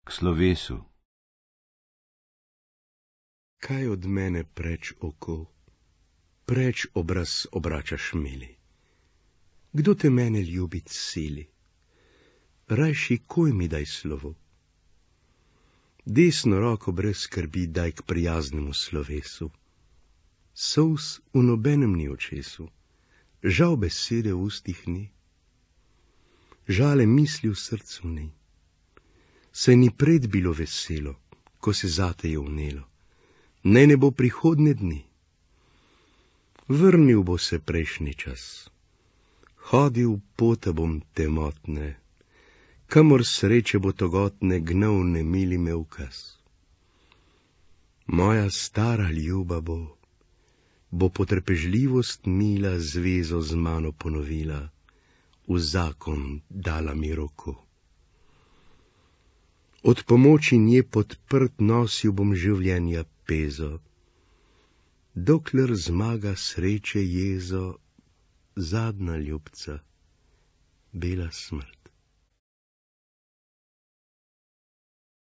k slovesu. Kaj od mene preč oko, preč obraz obračaš mili? Kdo te mene ljubit sili? Rajši koj mi daj slovo. Desno roko brez skrbi daj k prijaznemu slovesu. Solz v nobenem ni očesu, žal besede v ustih ni. Žale misli v srcu ni. Saj ni pred bilo veselo, ko se zate je vnelo. Naj ne bo prihodnje dni. Vrnil bo se prejšnji čas. Hodil pota bom temotne, kamor sreče bo togotne gnal nemili me ukaz. Moja stara ljuba bo potrpežljivost mila zvezo z mano ponovila, v zakon dala mi roko. Od pomoči nje podprt nosil bom življenja pezo, dokler zmaga sreče jezo, zadnja ljubca, bela smrt.